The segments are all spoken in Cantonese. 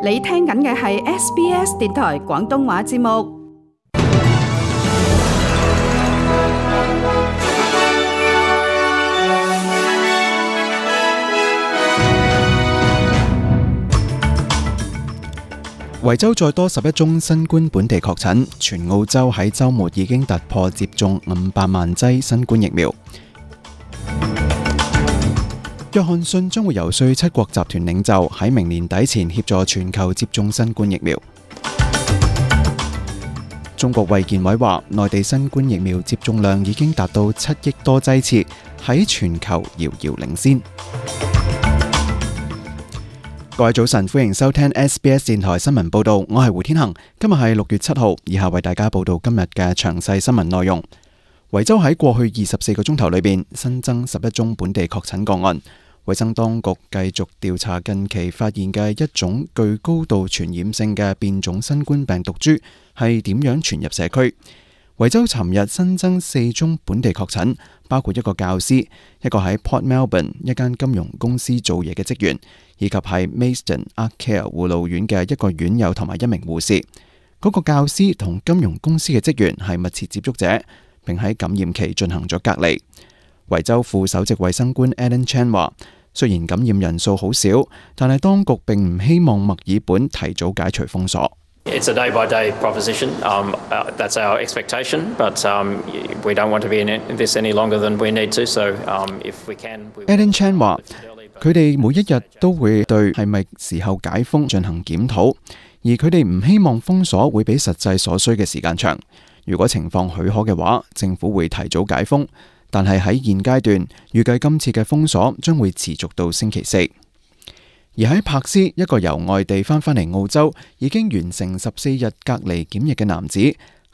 你聽緊嘅係 SBS 電台廣東話節目。維州再多11宗新冠本地確診，全澳洲喺週末已經突破接種500萬劑新冠疫苗。約翰遜將會游說7國集團領袖喺明年底前協助全球接種新冠疫苗。中國衛健委話，內地新冠疫苗接種量已經達到7億多劑次，喺全球遙遙領先。各位早晨，歡迎收聽 SBS 電台新聞報道，我係胡天恒。今日係6月7號，以下為大家報道今日嘅詳細新聞內容。維州喺過去24個鐘頭裏邊新增11宗本地確診個案。衛生當局繼續調查近期發現嘅一種具高度傳染性嘅變種新冠病毒株係點樣傳入社區。維州尋日新增4宗本地確診，包括一個教師、一個喺 Port Melbourne 一間金融公司做嘢嘅職員，以及喺 Maidstone Ark Care 護老院嘅一個院友同埋一名護士。嗰個教師同金融公司嘅職員係密切接觸者，並喺感染期進行咗隔離。維州副首席衛生官 Alan Chan 話，雖然感染人數好少，但係當局並唔希望墨爾本提早解除封鎖。It's a day-by-day proposition. That's our expectation, but we don't want to be in this any longer than we need to. So, if we can, Alan Chan 話，佢哋每一日都會對係咪時候解封進行檢討，而佢哋唔希望封鎖會比實際所需嘅時間長。如果情況許可嘅話，政府會提早解封。但係喺現階段，預計今次嘅封鎖將會持續到星期4。而喺柏斯，一個由外地翻嚟澳洲，已經完成14日隔離檢疫嘅男子，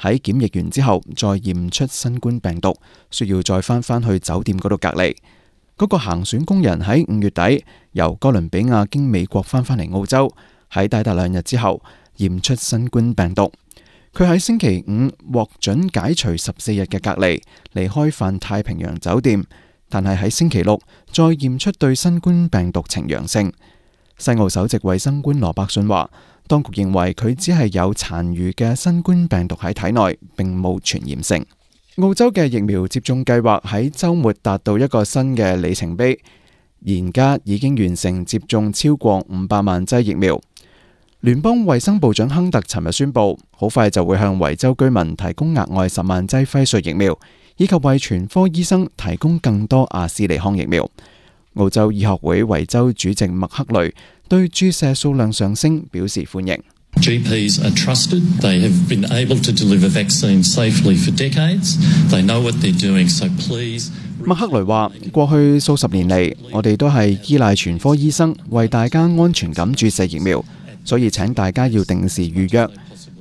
喺檢疫完之後再驗出新冠病毒，需要再翻去酒店嗰度隔離。嗰個行船工人喺5月底由哥倫比亞經美國翻嚟澳洲，喺抵達2日之後驗出新冠病毒。佢喺星期5獲准解除14日嘅隔離，離開泛太平洋酒店，但係喺星期6再驗出對新冠病毒呈陽性。西澳首席衛生官羅伯遜話，當局認為佢只係有殘餘嘅新冠病毒喺體內，並冇傳染性。澳洲嘅疫苗接種計劃喺週末達到一個新嘅里程碑，現家已經完成接種超過500萬劑疫苗。聯邦衛生部長亨特尋日宣布，好快就會向維州居民提供額外10萬劑輝瑞疫苗，以及為全科醫生提供更多阿斯利康疫苗。澳洲醫學會維州主席麥克雷對注射數量上升表示歡迎。GPs are trusted. They have been able to deliver vaccines safely for decades. They know what they're doing, so please. 麥克雷話：過去數十年嚟，我哋都係依賴全科醫生為大家安全咁注射疫苗。所以請大家要定時預約。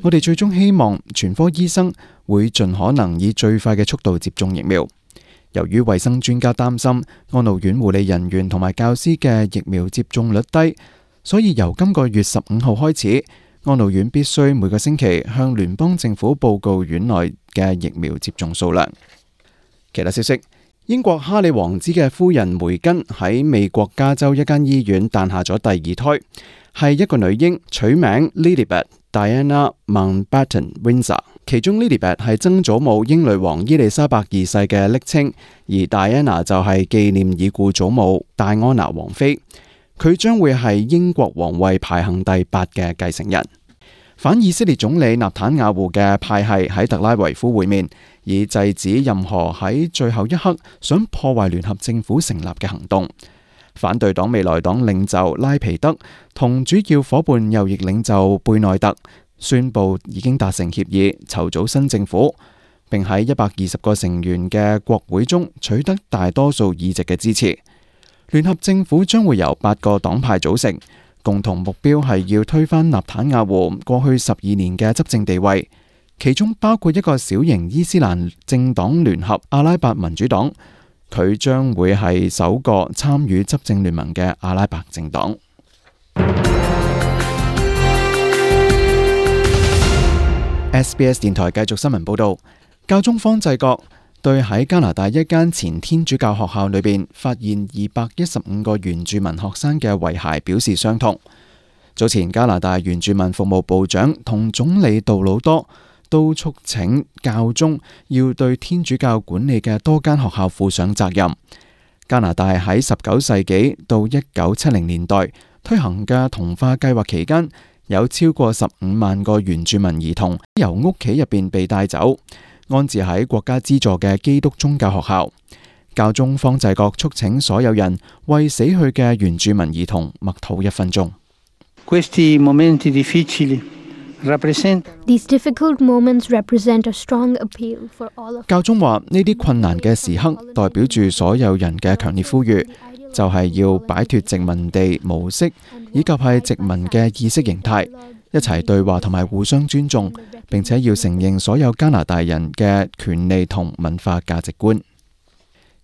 我哋最終希望全科醫生會盡可能以最快嘅速度接種疫苗。由於衛生專家擔心安老院護理人員同埋教師嘅疫苗接種率低，所以由今個月15號開始，安老院必須每個星期向聯邦政府報告院內嘅疫苗接種數量。其他消息，英國哈里王子嘅夫人梅根喺美國加州一間醫院誕下咗第2胎。係一個女嬰，取名 Lilibet Diana Mountbatten Windsor。其中 Lilibet 係曾祖母英女王伊麗莎白2世嘅昵稱，而 Diana 就係紀念已故祖母戴安娜王妃。佢將會係英國皇位排行第8嘅繼承人。反以色列總理納坦雅胡嘅派系喺特拉維夫會面，以制止任何喺最後一刻想破壞聯合政府成立嘅行動。反對黨未來黨領袖拉皮德同主要夥伴右翼領袖貝內特宣布已經達成協議，籌組新政府，並喺120個成員嘅國會中取得大多數議席嘅支持。聯合政府將會由8個黨派組成，共同目標係要推翻納坦雅胡過去12年嘅執政地位，其中包括一個小型伊斯蘭政黨聯合阿拉伯民主黨。佢將會係首個參與執政聯盟嘅阿拉伯政黨。SBS 電台繼續新聞報道，教宗方濟各對喺加拿大一間前天主教學校裏邊發現215個原住民學生嘅遺骸表示傷痛。早前加拿大原住民服務部長同總理杜魯多都促請教宗要對天主教管理嘅多間學校負上責任。加拿大喺19世紀到1970年代推行嘅同化計劃期間，有超過15萬個原住民兒童由屋企入邊被帶走，安置喺國家資助嘅基督宗教學校。教宗方濟各促請所有人為死去嘅原住民兒童默禱1分鐘。These difficult moments represent a strong appeal for all of us. 教宗話：呢啲困難嘅時刻代表住所有人嘅強烈呼籲，就係要擺脫殖民地模式以及係殖民嘅意識形態，一齊對話同埋互相尊重，並且要承認所有加拿大人嘅權利同文化價值觀。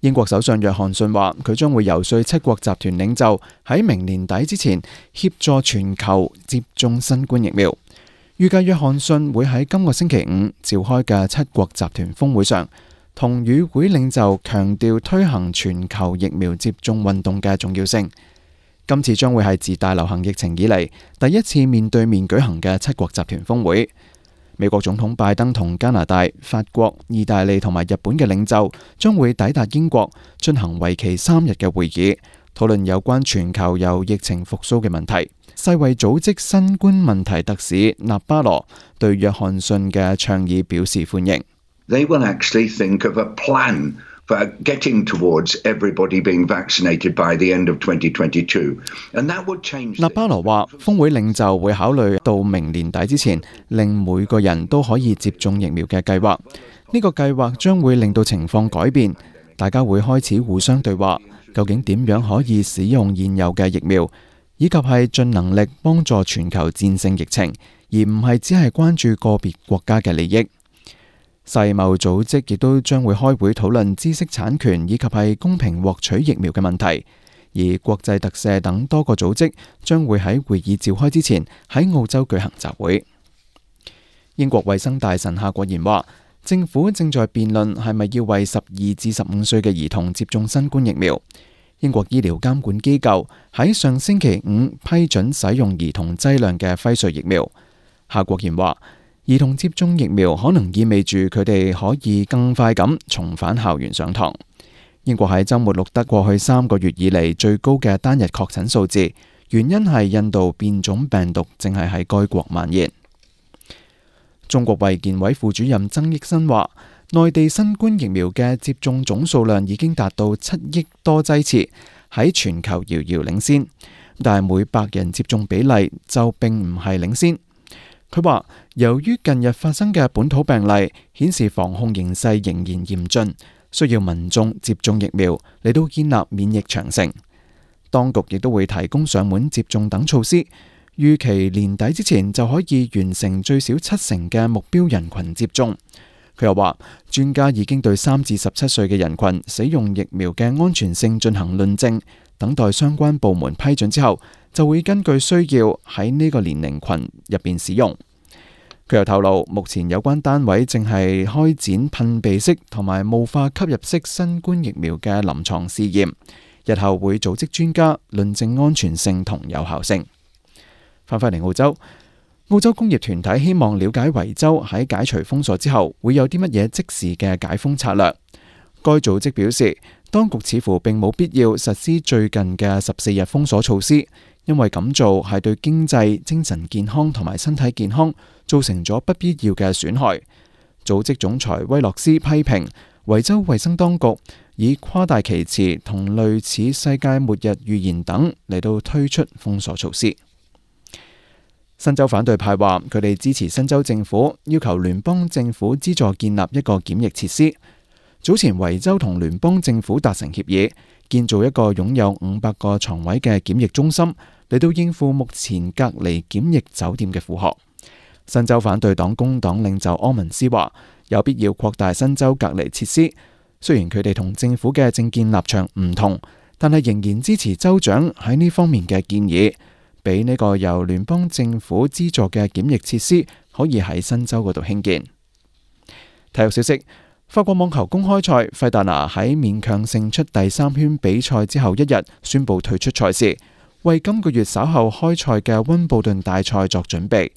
英國首相約翰遜話：佢將會游說7國集團領袖喺明年底之前協助全球接種新冠疫苗。預計約翰遜會喺今個星期5召開嘅7國集團峰會上，同與會領袖強調推行全球疫苗接種運動嘅重要性。今次將會係自大流行疫情以嚟第一次面對面舉行嘅7國集團峰會。美國總統拜登同加拿大、法國、意大利同埋日本嘅領袖將會抵達英國，進行為期3日嘅會議，討論有關全球由疫情復甦嘅問題。世衛組織新冠問題特使納巴羅對約翰遜嘅倡議表示歡迎。They will actually think of a plan for getting towards everybody being vaccinated by the end of 2022, and that would change. 納巴羅話，峰會領袖會考慮到明年底之前，令每個人都可以接種疫苗嘅計劃。呢個計劃將會令到情況改變，大家會開始互相對話，究竟點樣可以使用現有嘅疫苗，以及係盡能力幫助全球戰勝疫情，而唔係只係關注個別國家嘅利益。世貿組織亦都將會開會討論知識產權以及係公平獲取疫苗嘅問題，而國際特赦等多個組織將會喺會議召開之前喺澳洲舉行集會。英國衛生大臣夏國賢話，政府正在辯論係咪要為12至15歲嘅兒童接種新冠疫苗。英國醫療監管機構喺上星期5批准使用兒童劑量嘅輝瑞疫苗。夏國賢話，兒童接種疫苗可能意味住佢哋可以更快咁重返校園上堂。英國喺週末錄得過去3個月以嚟最高嘅單日確診數字，原因係印度變種病毒正係喺該國蔓延。中國衛健委副主任曾益新話，內地新冠疫苗嘅接種總數量已經達到7億多劑次，喺全球遙遙領先，但係每100人接種比例就並唔係領先。佢話，由於近日發生嘅本土病例顯示防控形勢仍然嚴峻，需要民眾接種疫苗嚟到建立免疫長城。當局亦都會提供上門接種等措施，預期年底之前就可以完成最少70%嘅目標人群接種。佢又話，專家已經對3至17歲嘅人群使用疫苗嘅安全性進行論證，等待相關部門批准之後，就會根據需要喺呢個年齡群入邊使用。佢又透露，目前有關單位正係開展噴鼻式同埋霧化吸入式新冠疫苗嘅臨床試驗，日後會組織專家論證安全性同有效性。翻返嚟澳洲，澳洲工業團體希望了解維州喺解除封鎖之後會有啲乜嘢即時嘅解封策略。該組織表示，當局似乎並冇必要實施最近嘅14日封鎖措施，因為咁做係對經濟、精神健康同埋身體健康造成咗不必要嘅損害。組織總裁威洛斯批評維州衛生當局以誇大其詞同類似世界末日預言等嚟到推出封鎖措施。新州反對派話佢哋支持新州政府要求聯邦政府資助建立一個檢疫設施。早前維州同聯邦政府達成協議，建造一個擁有500個床位嘅檢疫中心，嚟到應付目前隔離檢疫酒店嘅負荷。新州反對黨工黨領袖柯文斯話有必要擴大新州隔離設施，雖然佢哋同政府嘅政見立場唔同，但係仍然支持州長喺呢方面嘅建議，俾呢個由聯邦政府資助嘅檢疫設施可以喺新州嗰度興建。體育消息，法國網球公開賽，費達拿喺勉強勝出第3圈比賽之後1日宣布退出賽事，為今個月稍後開賽嘅溫布頓大賽作準備。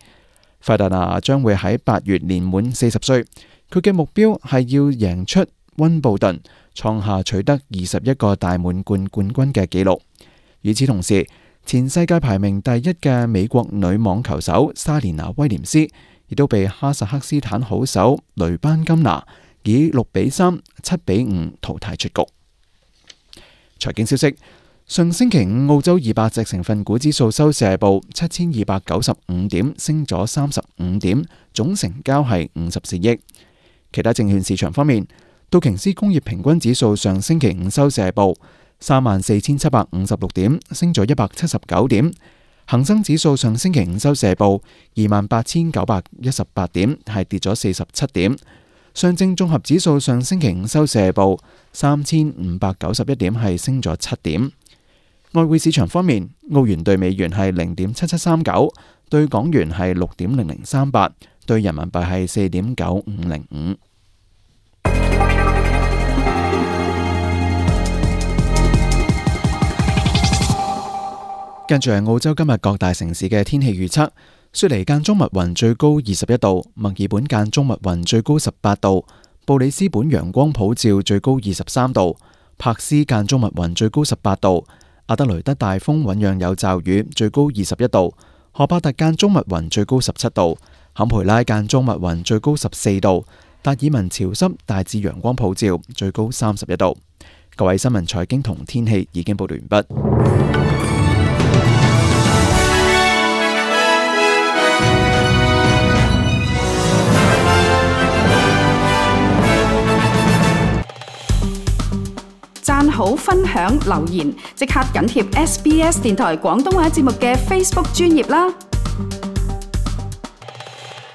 費達拿將會喺8月年滿40歲，佢嘅目標係要贏出溫布頓，創下取得21個大滿貫冠軍嘅紀錄。與此同時，前世界排名第1嘅美國女網球手莎蓮娜威廉斯亦都被哈薩克斯坦好手雷班金娜以6-3、7-5淘汰出局。財經消息：上星期五澳洲200隻成分股指數收市報7295點，升咗35點，總成交係54億。其他證券市場方面，道瓊斯工業平均指數上星期五收市報34,756點，升咗179點。恒生指數上星期五收市報28,918點，係跌咗47點。上證綜合指數上星期五收市報3,591點，係升咗7點。外匯市場方面，澳元兌美元係0.7739，對港元係6.0038，對人民幣係4.9505。跟住係澳洲今日各大城市嘅天氣預測：雪梨間中密雲，最高21度；墨爾本間中密雲，最高18度；布里斯本陽光普照，最高23度；柏斯間中密雲，最高18度；阿德雷德大風醞釀有驟雨，最高21度；荷伯特間中密雲，最高17度；坎培拉間中密雲，最高14度；達爾文潮濕，大致陽光普照，最高31度。各位，新聞財經同天氣已經報道完畢。讚好、分享、留言，即刻緊貼SBS 電台廣東話節目嘅 Facebook 專頁啦！